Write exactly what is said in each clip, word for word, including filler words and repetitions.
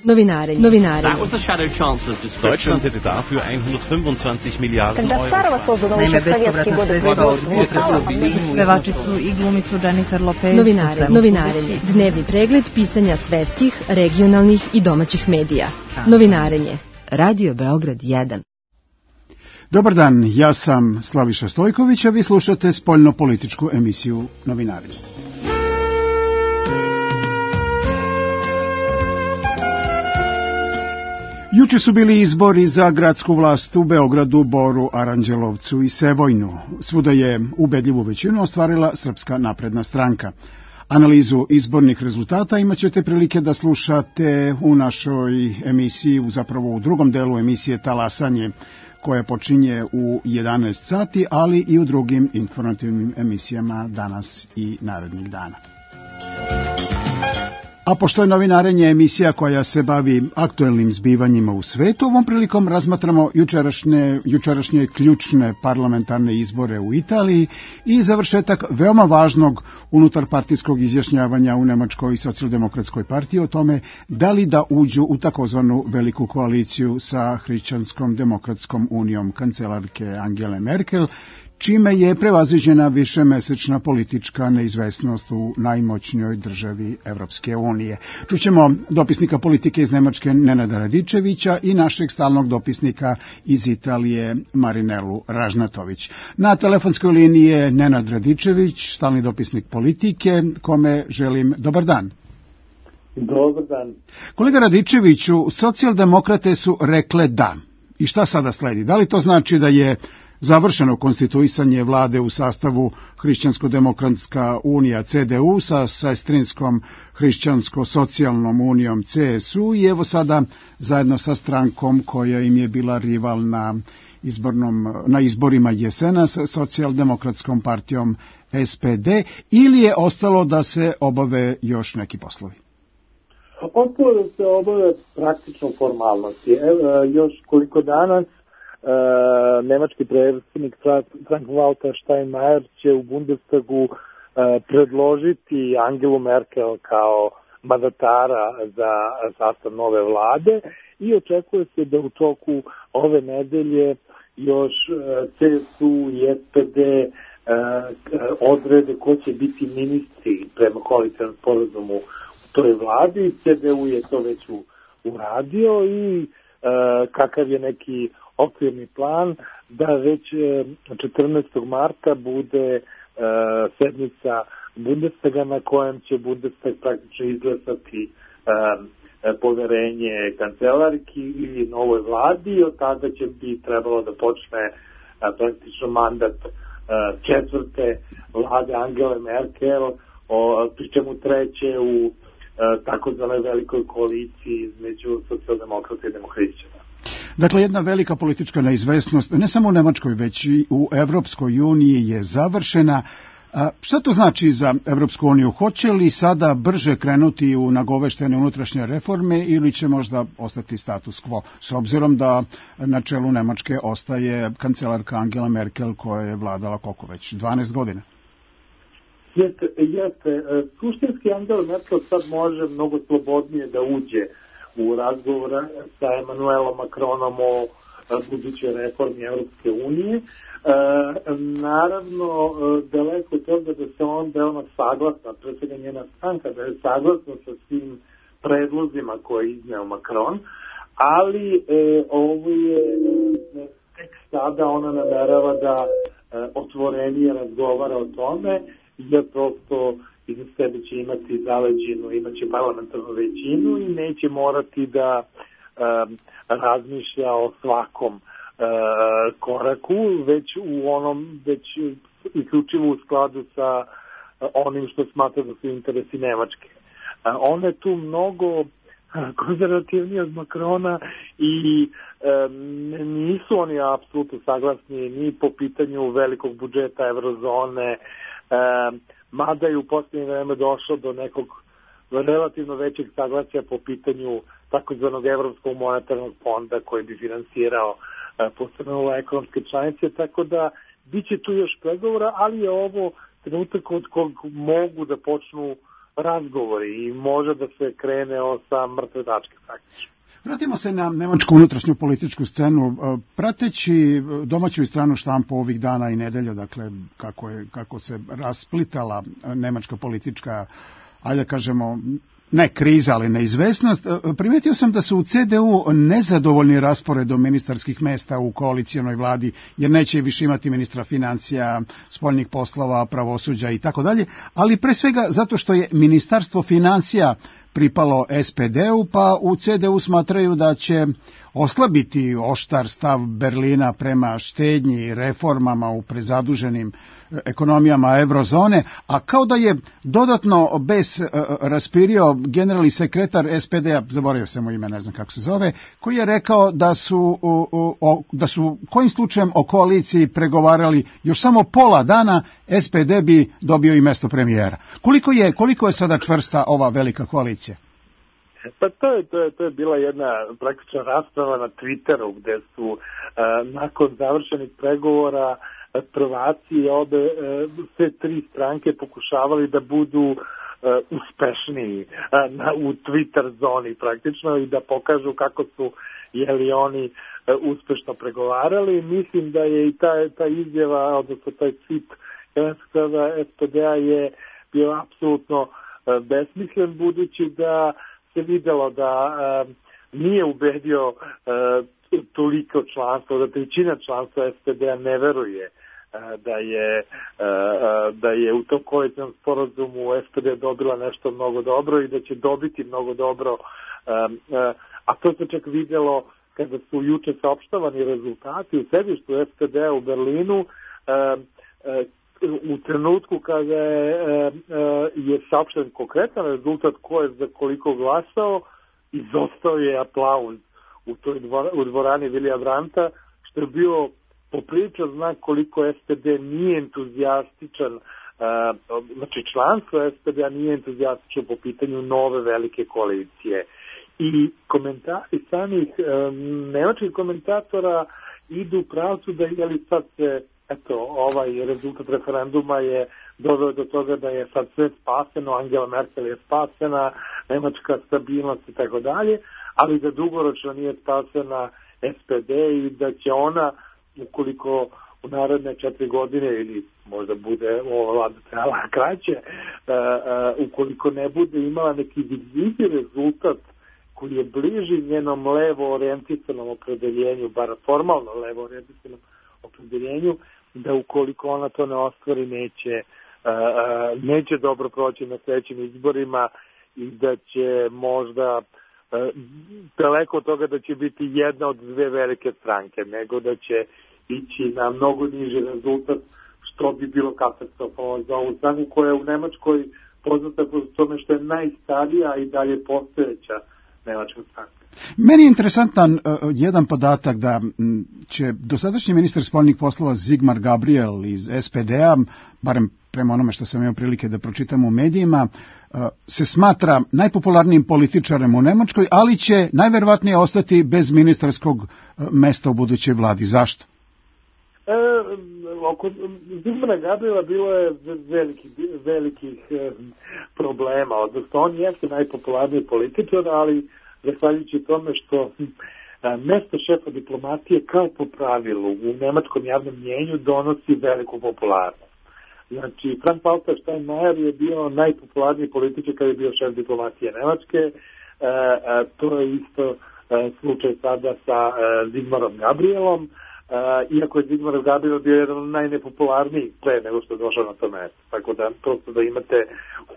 Novinarenje. Novinarenje. That was the shadow chancellor of Deutschland hätte dafür hundertfünfundzwanzig Milliarden Euro. Naime, bespovratna sredstva od potresa u pevačicu i glumicu Jennifer Lopez. Novinare, novinarenje. Dnevni pregled pisanja svetskih, regionalnih i domaćih medija. Novinarenje. Radio Beograd jedan. Dobar dan, ja sam Slaviša Stojković, a vi slušate spoljno-političku emisiju Novinarenje. Juče su bili izbori za gradsku vlast u Beogradu, Boru, Aranđelovcu i Sevojnu. Svuda je ubedljivu većinu ostvarila Srpska napredna stranka. Analizu izbornih rezultata imat ćete prilike da slušate u našoj emisiji, zapravo u drugom delu emisije Talasanje, koja počinje u jedanaest sati, ali i u drugim informativnim emisijama danas i narednih dana. A pošto je Novinarenje emisija koja se bavi aktuelnim zbivanjima u svetu, ovom prilikom razmatramo jučerašnje, jučerašnje ključne parlamentarne izbore u Italiji i završetak veoma važnog unutarpartijskog izjašnjavanja u Nemačkoj socijaldemokratskoj partiji o tome da li da uđu u takozvanu veliku koaliciju sa Hrišćanskom demokratskom unijom kancelarke Angele Merkel, čime je prevaziđena višemesečna politička neizvesnost u najmoćnijoj državi Evropske unije. Čućemo dopisnika politike iz Nemačke Nenada Radičevića i našeg stalnog dopisnika iz Italije Marinelu Ražnatović. Na telefonskoj liniji je Nenad Radičević, stalni dopisnik politike, kome želim dobar dan. Dobar dan. Kolega Radičeviću, socijaldemokrate su rekle da. I šta sada sledi? Da li to znači da je završeno konstituisanje vlade u sastavu Hrišćansko-demokratska unija C D U sa sestrinskom Hrišćansko-socijalnom unijom C S U i evo sada zajedno sa strankom koja im je bila rival na, izbornom, na izborima jesena sa socijaldemokratskom partijom S P D, ili je ostalo da se obave još neki poslovi? Ostalo da se obave praktično formalnosti. Evo, još koliko dana Uh, nemački predsjednik Frank-Walter Steinmeier će u Bundestagu uh, predložiti Angelu Merkel kao mandatara za sastav nove vlade i očekuje se da u toku ove nedelje još uh, C S U i S P D uh, odrede ko će biti ministri prema koalicionom sporazumu u toj vladi. C D U je to već uradio i uh, kakav je neki okvirni plan da već četrnaestog marta bude uh, sednica Bundestaga na kojem će Bundestag praktično izglasati uh, poverenje kancelarki i novoj vladi i od tada će bi trebalo da počne uh, praktično mandat uh, četvrte vlade Angele Merkel, o, pri čemu treće u uh, takozvanoj velikoj koaliciji između socijaldemokrata i demohrišćana. Dakle, jedna velika politička neizvesnost, ne samo u Nemačkoj, već i u Evropskoj uniji je završena. A šta to znači za Evropsku uniju? Hoće li sada brže krenuti u nagoveštene unutrašnje reforme ili će možda ostati status quo, s obzirom da na čelu Nemačke ostaje kancelarka Angela Merkel koja je vladala koliko već, dvanaest godina? Jeste, jeste. Suštinski Angela Merkel sad može mnogo slobodnije da uđe u razgovor sa Emmanuelom Macronom o budućoj reformi Europske unije. E, naravno, daleko od toga da se on veoma saglasna, pre svega njena stranka, da je saglasna sa svim predlozima koje je izneo Macron, ali e, ovo je e, tek sada ona namerava da e, otvorenije razgovara o tome, jer prosto iza sebe će imati zaleđinu, imaće parlamentarnu većinu i neće morati da um, razmišlja o svakom uh, koraku, već u onom, već isključivo u skladu sa uh, onim što smatra da su interesi Nemačke. Uh, ona je tu mnogo konzervativnija od Macrona i um, nisu oni apsolutno saglasni ni po pitanju velikog budžeta eurozone, um, mada je u posljednje vreme došlo do nekog relativno većeg saglasja po pitanju takozvanog Evropskog monetarnog fonda koji bi finansirao posebno ekonomske članice, tako da bit će tu još pregovora, ali je ovo trenutak od kog mogu da počnu razgovori i može da se krene sa mrtve tačke praktično. Vratimo se na nemačku unutrašnju političku scenu. Prateći domaću i stranu štampu ovih dana i nedelja, dakle kako, je, kako se rasplitala nemačka politička, ajde da kažemo, ne kriza, ali neizvesnost, primetio sam da su u ce de u nezadovoljni rasporedom ministarskih mesta u koalicijonoj vladi, jer neće više imati ministra financija, spoljnih poslova, pravosuđa i tako dalje, ali pre svega zato što je ministarstvo financija pripalo es pe de u, pa u ce de u smatraju da će oslabiti oštar stav Berlina prema štednji i reformama u prezaduženim ekonomijama eurozone, a kao da je dodatno bes raspirio generalni sekretar es pe de a, zaboravio sam mu ime, ne znam kako se zove, koji je rekao da su, o, da su kojim slučajem o koaliciji pregovarali još samo pola dana, es pe de bi dobio i mesto premijera. Koliko je, koliko je sada čvrsta ova velika koalicija? Pa to je, to je, to je bila jedna praktična rasprava na Twitteru gde su uh, nakon završenih pregovora prvaci obe, uh, sve tri stranke pokušavali da budu uh, uspešniji uh, na, u Twitter zoni praktično i da pokažu kako su jeli oni uh, uspešno pregovarali. Mislim da je i ta, ta izjava, odnosno taj tweet es pe de a je bio apsolutno uh, besmislen, budući da se videlo da uh, nije ubedio uh, toliko članstva, da trećina članstva es pe de a ne veruje uh, da je uh, da je u tom koalicionom sporazumu es pe de dobila nešto mnogo dobro i da će dobiti mnogo dobro, uh, uh, a to se čak videlo kada su juče saopštavani rezultati u sedištu es pe de a u Berlinu, uh, uh, u trenutku kada je, e, je saopšten konkretan rezultat ko je za koliko glasao, izostao je aplauz u toj dvor, u dvorani Vilija Brandta, što je bio popriličan znak koliko es pe de nije entuzijastičan, e, znači članstvo es pe de a nije entuzijastično po pitanju nove velike koalicije. I komentari samih e, nemačkih komentatora idu u pravcu da je li sad se eto, ovaj rezultat referenduma je doveo do toga da je sad sve spaseno, Angela Merkel je spasena, nemačka stabilnost i tako dalje, ali da dugoročno nije spasena es pe de i da će ona, ukoliko u naredne četiri godine ili možda bude ova vlada trajala kraće, uh, uh, ukoliko ne bude imala neki vidljivi rezultat koji je bliži njenom levo orijentisanom opredeljenju, bar formalno levo orijentisanom opredeljenju, da ukoliko ona to ne ostvari neće, uh, neće dobro proći na sljedećim izborima i da će možda uh, daleko od toga da će biti jedna od dve velike stranke, nego da će ići na mnogo niži rezultat, što bi bilo katastrofalno za ovu stranku koja je u Nemačkoj poznata po tome što je najstarija i dalje postojeća nemačka stranka. Meni je interesantan uh, jedan podatak da m, će dosadašnji ministar spoljnih poslova Sigmar Gabriel iz es pe de a, barem prema onome što sam imao prilike da pročitam u medijima, uh, se smatra najpopularnijim političarem u Nemačkoj, ali će najverovatnije ostati bez ministarskog uh, mesta u budućoj vladi. Zašto? E, oko Sigmara Gabriela bilo je velikih, velikih e, problema, odnosno on jeste najpopularniji političar, ali zahvaljujući tome što a, mesto šefa diplomatije kao po pravilu u nemačkom javnom mjenju donosi veliku popularnost. Znači, Frank-Walter Steinmeier je bio najpopularniji političar kada je bio šef diplomatije Nemačke, a, a, to je isto a, slučaj sada sa a, Sigmarom Gabrielom, Uh, iako je Sigmar Gabriel bio jedan od najnepopularnijih pre nego što je došao na to mesto. Tako da, prosto da imate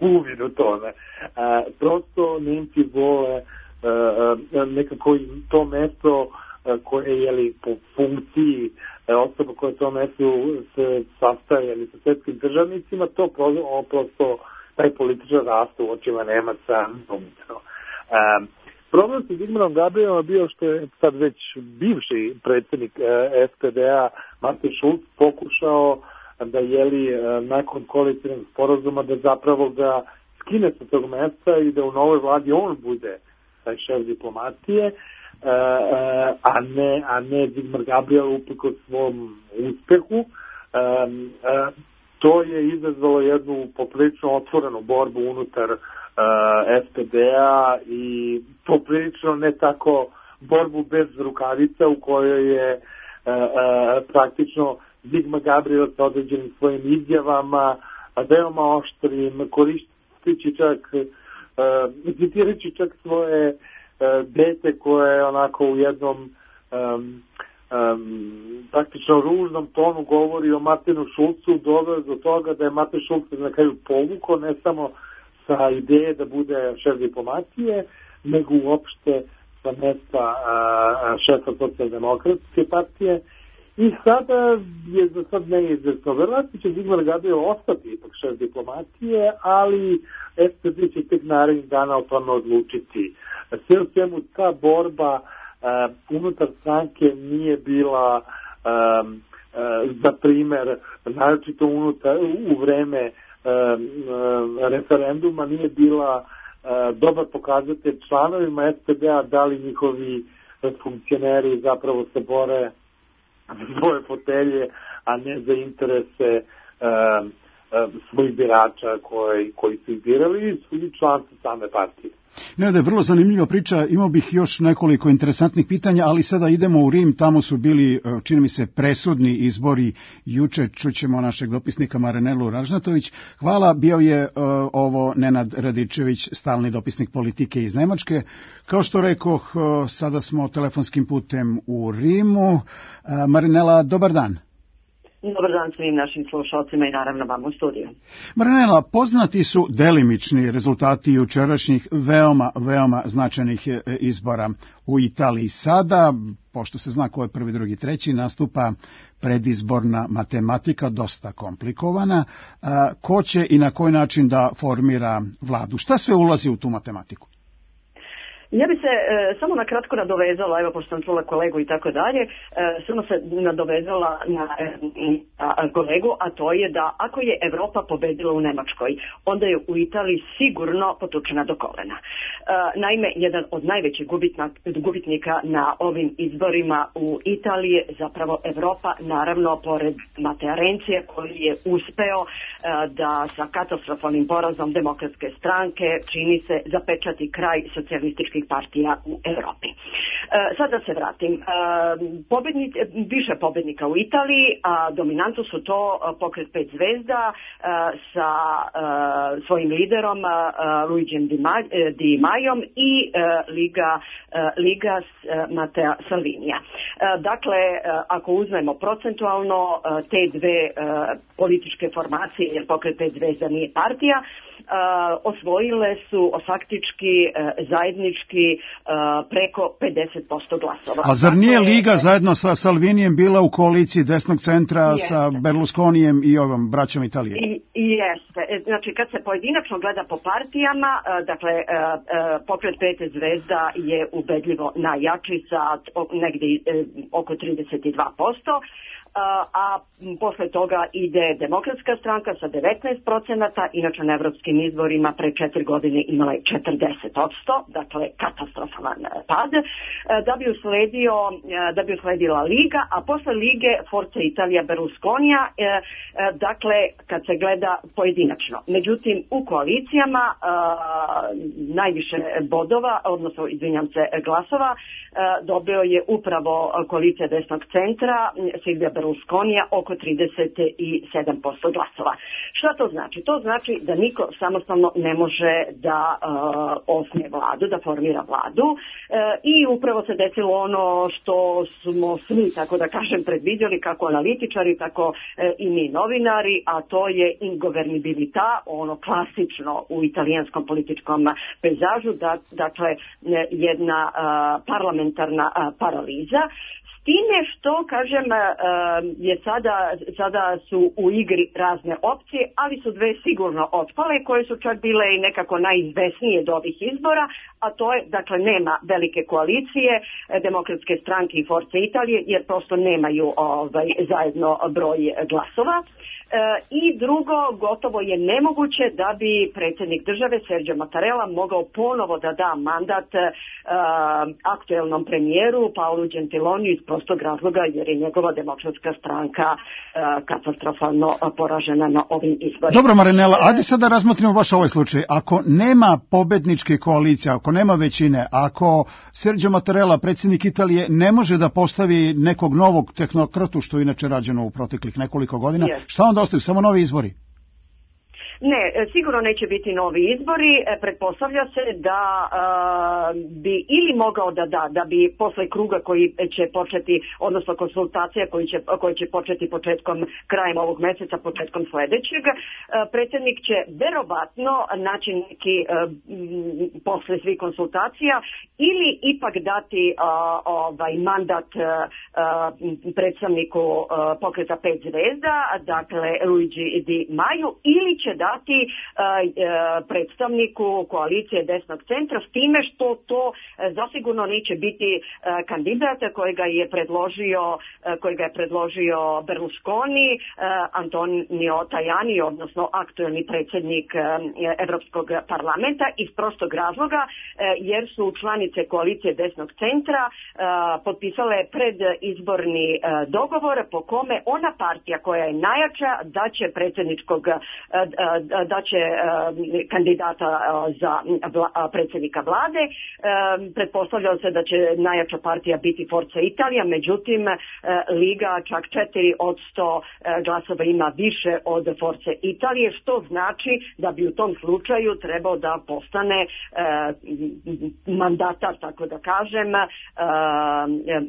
uvid u to. Ne? Uh, prosto Nemci vole uh, uh, nekako to mesto uh, koje je li po funkciji uh, osoba koja to mesto se sastaje ili sa svetskim državnicima, to prosto, prosto taj političar raste u očima Nemaca. Uh, Problem sa Sigmarom Gabrielom bio što je sad već bivši predsjednik es pe de a Martin Schulz pokušao da jeli nakon koalicionog sporazuma da zapravo ga skine sa tog mesta i da u novoj vladi on bude taj šef diplomatije, a ne, a ne Sigmar Gabriel uprkos svom uspehu. to je izazvalo jednu poprilično otvorenu borbu unutar uh, S P D-a i poprilično ne tako borbu bez rukavica u kojoj je uh, uh, praktično Zigma Gabriel sa određenim svojim izjavama, veoma oštrim, koristeći čak, uh, citirajući čak svoje uh, dete koje je onako u jednom um, um, praktično ružnom tonu govori o Martinu Šulcu, doveo do toga da je Martin Šulc na kraju povukao ne samo sa ideje da bude šef diplomatije, nego uopšte sa mesta uh, šefa socijaldemokratske partije. I sada je za sad neizvesno. Verovatno će Zigmar Gabriel ostati ipak šef diplomatije, ali S P D će tek narednih dana o tome odlučiti. Sve u svemu ta borba uh, unutar stranke nije bila um, uh, za primer, naročito unutar, u vreme um, uh, referenduma, nije bila uh, dobar pokazatelj članovima S P D-a da li njihovi funkcioneri zapravo se bore svoje fotelje, a ne za interese uh, uh, svojih birača koji, koji su ih birali i su članci same partije. Ne, da je vrlo zanimljiva priča, imao bih još nekoliko interesantnih pitanja, ali sada idemo u Rim, tamo su bili, čini mi se, presudni izbori juče, čućemo našeg dopisnika Marinelu Ražnatović. Hvala, bio je uh, ovo Nenad Radičević, stalni dopisnik politike iz Nemačke. Kao što rekoh, uh, sada smo telefonskim putem u Rimu. Uh, Marinela, dobar dan. Dobar dan svim našim slušalcima i naravno vam u studiju. Marinela, poznati su delimični rezultati jučerašnjih veoma, veoma značajnih izbora u Italiji. Sada, pošto se zna ko je prvi, drugi, treći, nastupa predizborna matematika, dosta komplikovana. Ko će i na koji način da formira vladu? Šta sve ulazi u tu matematiku? Ja bi se e, samo na kratko nadovezala, evo pošto sam čula kolegu i tako dalje, e, samo se nadovezala na e, a, kolegu, a to je da ako je Evropa pobedila u Nemačkoj, onda je u Italiji sigurno potučena do kolena. E, naime, jedan od najvećih gubitna, gubitnika na ovim izborima u Italiji je zapravo Evropa, naravno pored Matea Renzija koji je uspeo e, da sa katastrofalnim porazom demokratske stranke čini se zapečati kraj socijalističkih partija u Evropi. E, sad da se vratim. E, pobednik, više pobednika u Italiji, a dominantno su to pokret pet zvezda e, sa e, svojim liderom e, Luigijem Di, Ma, e, Di Majom i e, Liga, e, Liga s, e, Matea Salvinija. E, dakle, e, ako uzmemo procentualno e, te dve e, političke formacije, jer pokret pet zvezda nije partija, Uh, osvojile su faktički uh, zajednički uh, preko pedeset posto glasova. A zar nije Liga zajedno sa Salvinijem bila u koaliciji desnog centra jeste. Sa Berlusconijem i ovom braćom Italije? I, jeste. Znači kad se pojedinačno gleda po partijama, uh, dakle uh, uh, pokret pet zvezda je ubedljivo najjači sa negdje uh, oko trideset dva posto. A posle toga ide Demokratska stranka sa devetnaest procenata, inače na evropskim izborima pre četiri godine imala je četrdeset posto, dakle katastrofalan pad, da bi usledio, da bi usledila Liga, a posle Lige Forza Italia Berlusconija, dakle kad se gleda pojedinačno. Međutim, u koalicijama najviše bodova, odnosno izvinjam se glasova, dobio je upravo koalicija desnog centra Silvija Berlusconija oko trideset sedam posto glasova. Šta to znači? To znači da niko samostalno ne može da uh, osnuje vladu, da formira vladu uh, i upravo se desilo ono što smo svi, tako da kažem, predvidjeli, kako analitičari, tako uh, i mi novinari, a to je ingovernibilità, ono klasično u italijanskom političkom pejzažu, da, dakle jedna uh, parlamentarna uh, paraliza. Time što, kažem, je sada, sada su u igri razne opcije, ali su dve sigurno otpale, koje su čak bile i nekako najizvesnije do ovih izbora, a to je, dakle, nema velike koalicije Demokratske stranke i Forze Italije, jer prosto nemaju ovaj, zajedno broj glasova. E, I drugo, gotovo je nemoguće da bi predsjednik države Sergio Mattarella mogao ponovo da da mandat e, aktuelnom premijeru Paolu Gentiloniju iz prostog razloga jer je njegova demokratska stranka uh, katastrofalno poražena na ovim izborima. Dobro, Marinela, ajde sad da razmotrimo baš ovaj slučaj. Ako nema pobedničke koalicije, ako nema većine, ako Sergio Mattarella, predsjednik Italije, ne može da postavi nekog novog tehnokratu, što je inače rađeno u proteklih nekoliko godina, yes. Šta onda ostaju? Samo novi izbori? Ne, sigurno neće biti novi izbori. Pretpostavlja se da uh, bi ili mogao da da, da bi posle kruga koji će početi, odnosno konsultacija koji će, koji će početi početkom, krajem ovog meseca, početkom sledećeg, uh, predsjednik će verovatno naći neki uh, posle svih konsultacija ili ipak dati uh, ovaj mandat uh, predstavniku uh, pokreta pet zvezda, dakle Luigi Di Maiju, ili će da dati uh, predstavniku koalicije desnog centra, s time što to uh, zasigurno neće biti uh, kandidat kojega je predložio uh, kojega je predložio Berlusconi, uh, Antonio Tajani, odnosno aktuelni predsjednik uh, Evropskog parlamenta, iz prostog razloga uh, jer su članice koalicije desnog centra uh, potpisale predizborni uh, dogovor po kome ona partija koja je najjača da će predsjedničkog uh, uh, da će uh, kandidata uh, za vla, predsjednika vlade. Uh, pretpostavljalo se da će najjača partija biti Forza Italija, međutim uh, Liga čak četiri od sto uh, glasova ima više od Forze Italije, što znači da bi u tom slučaju trebao da postane uh, mandatar, tako da kažem, uh,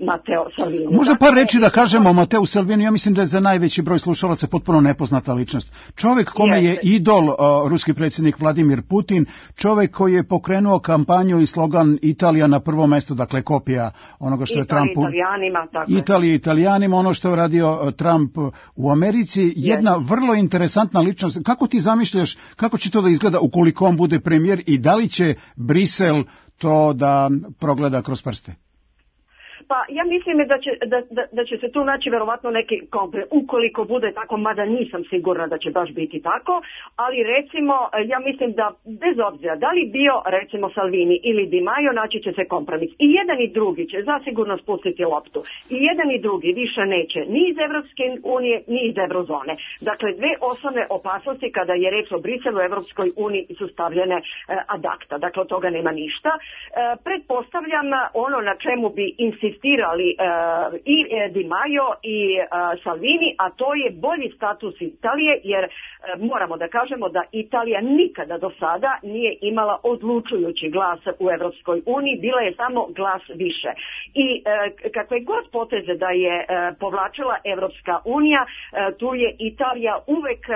Matteo Salvini. Možda par reći da kažemo o Matteu Salvini, ja mislim da je za najveći broj slušalaca potpuno nepoznata ličnost. Čovjek kome je idol uh, ruski predsjednik Vladimir Putin, čovjek koji je pokrenuo kampanju i slogan Italija na prvo mesto, dakle kopija onoga što je Trump u Italijanima, tako Italiji Italijanima, ono što je radio Trump u Americi, jedna yes. vrlo interesantna ličnost. Kako ti zamišljaš, kako će to da izgleda ukoliko on bude premijer i da li će Brisel to da progleda kroz prste? Pa ja mislim da će, da, da, da će se tu naći verovatno neki kompromis, ukoliko bude tako, mada nisam sigurna da će baš biti tako, ali recimo, ja mislim da bez obzira da li bio recimo Salvini ili Di Maio, naći će se kompromis. I jedan i drugi će zasigurno spustiti loptu. I jedan i drugi više neće ni iz Evropske unije, ni iz Eurozone. Dakle, dve osnovne opasnosti kada je reč o Briselu u Evropskoj uniji su stavljene eh, ad acta. Dakle, od toga nema ništa. Eh, pretpostavljam ono na čemu bi insistirali insistirali uh, i uh, Di Maio i uh, Salvini, a to je bolji status Italije, jer uh, moramo da kažemo da Italija nikada do sada nije imala odlučujući glas u Evropskoj uniji, bila je samo glas više. I uh, kakve god poteze da je uh, povlačila Evropska unija, uh, tu je Italija uvek uh,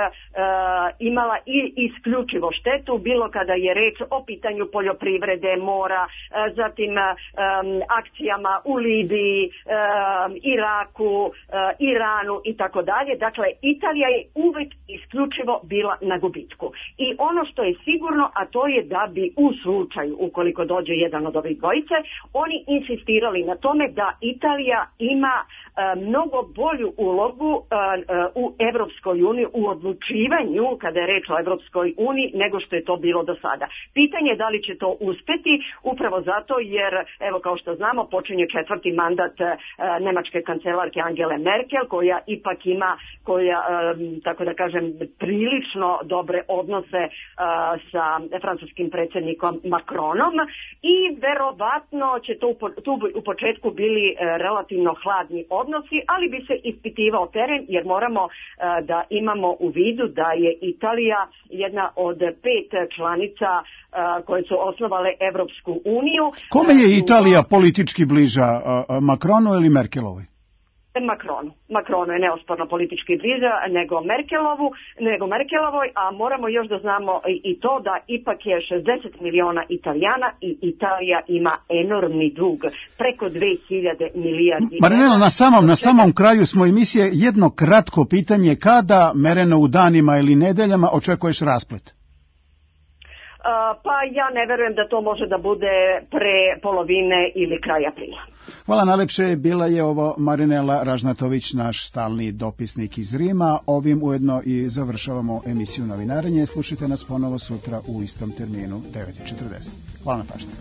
imala i isključivo štetu, bilo kada je reč o pitanju poljoprivrede, mora, uh, zatim um, akcijama u Libiji, um, Iraku, uh, Iranu i tako dalje. Dakle, Italija je uvek isključivo bila na gubitku. I ono što je sigurno, a to je da bi u slučaju, ukoliko dođe jedan od ovih dvojice, oni insistirali na tome da Italija ima uh, mnogo bolju ulogu uh, uh, u Evropskoj uniji, u odlučivanju, kada je reč o Evropskoj uniji, nego što je to bilo do sada. Pitanje je da li će to uspeti, upravo zato jer, evo kao što znamo, počinje četvrti mandat uh, nemačke kancelarke Angele Merkel, koja ipak ima, koja, um, tako da kažem, prilično dobre odnose uh, sa francuskim predsjednikom Macronom i verovatno će to u, tu u početku bili uh, relativno hladni odnosi, ali bi se ispitivao teren, jer moramo uh, da imamo u vidu da je Italija jedna od pet članica uh, koje su osnovale Evropsku uniju. Kome je Italija politički bliža, uh, Macronu ili Merkelovoj? Macronu. Macronu je neosporno politički bliža nego Merkelovu, nego Merkelovoj, a moramo još da znamo i, i to da ipak je šezdeset miliona Italijana i Italija ima enormni dug, preko dve hiljade milijardi. Marinela, na samom, na samom kraju smo emisije, jedno kratko pitanje, kada, mereno u danima ili nedeljama, očekuješ rasplet? Uh, pa ja ne verujem da to može da bude pre polovine ili kraja aprila. Hvala najlepše, bila je ovo Marinela Ražnatović, naš stalni dopisnik iz Rima. Ovim ujedno i završavamo emisiju Novinarenje. Slušajte nas ponovo sutra u istom terminu, devet i četrdeset. Hvala na pažnju.